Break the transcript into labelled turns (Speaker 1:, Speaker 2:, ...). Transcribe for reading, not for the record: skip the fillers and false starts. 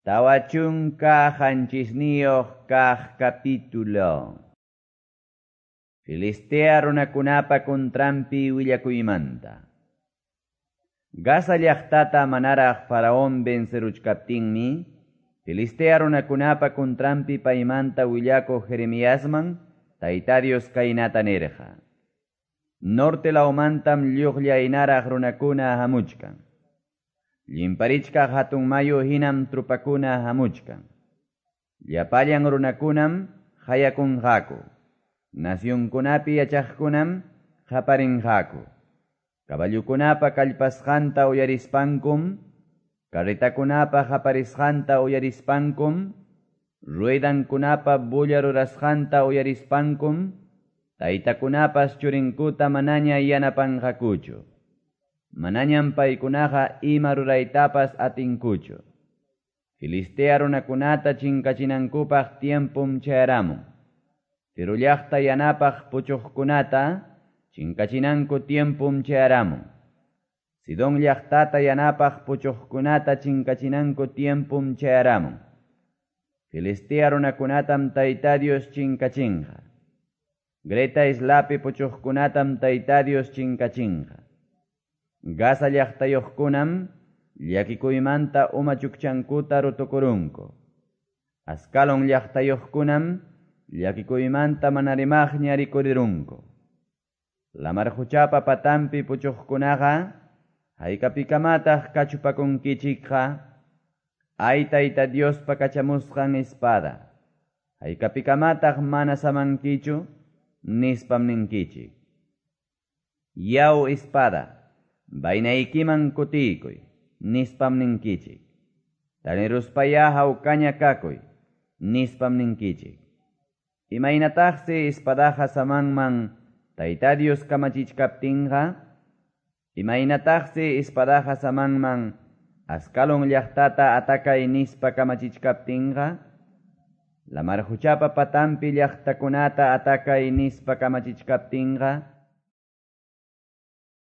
Speaker 1: 47 kaq capítulo. Filistea runakunapa contranpi willakuymanta. Gaza llaqtata manaraq Faraón venceruchkaptinmi, Filistea runakunapa contranpi paymanta willakuq Jeremiasman, Tayta Dios kaynata nirqa. Norte lawmantam lluqllaynaraq runakuna hamuchkan. Llimparichkaq hatun mayu hinam trupakuna hamuchkan. Llapallan runakunam hayakunqaku. Nacionkunapi yachaqkunam qaparinqaku. Caballukunapa kallpasqanta uyarispankum, carretakunapa qaparisqanta uyarispankum, ruedankunapa bulla rurasqanta uyarispankum, taytakunapas churinkuta manaña yanapanqakuchu. Manañam paykunaqa ima ruraytapas atinkuchu. Filistea runakunata chinkachinankupaq tiempum chayaramun. Tiro llaqta yanapaq puchuqkunata chinkachinanku tiempum chayaramun. Sidón llaqtata yanapaq puchuqkunata chinkachinanku tiempum chayaramun. Filistea runakunatam Tayta Dios chinkachinqa. Greta islapi puchuqkunatam Tayta Dios chinkachinqa. Gaza llaqtayuqkunam llakikuymanta uma chukchankuta rutukurunku. Ascalon llaqtayuqkunam llakikuymanta mana rimaqña rikurirunku. Lamar quchapa patampi puchuqkunaqa haykapikamataq kachupakunkichikqa, ay Tayta Diospa kachamusqan espada, haykapikamataq mana samankichu, nispam ninkichik. Yaw espada, vainaykiman kutiykuy, nispam ninkichik. Taniruspaya hawkaña kakuy, nispam ninkichik. Imaynataqsi espadaqa samanman Tayta Dios kamachichkaptinqa, imaynataqsi espadaqa samanman Ascalon llaqtata atakay nispa kamachichkaptinqa, lamar quchapa patampi llaqtakunata atakay nispa kamachichkaptinqa,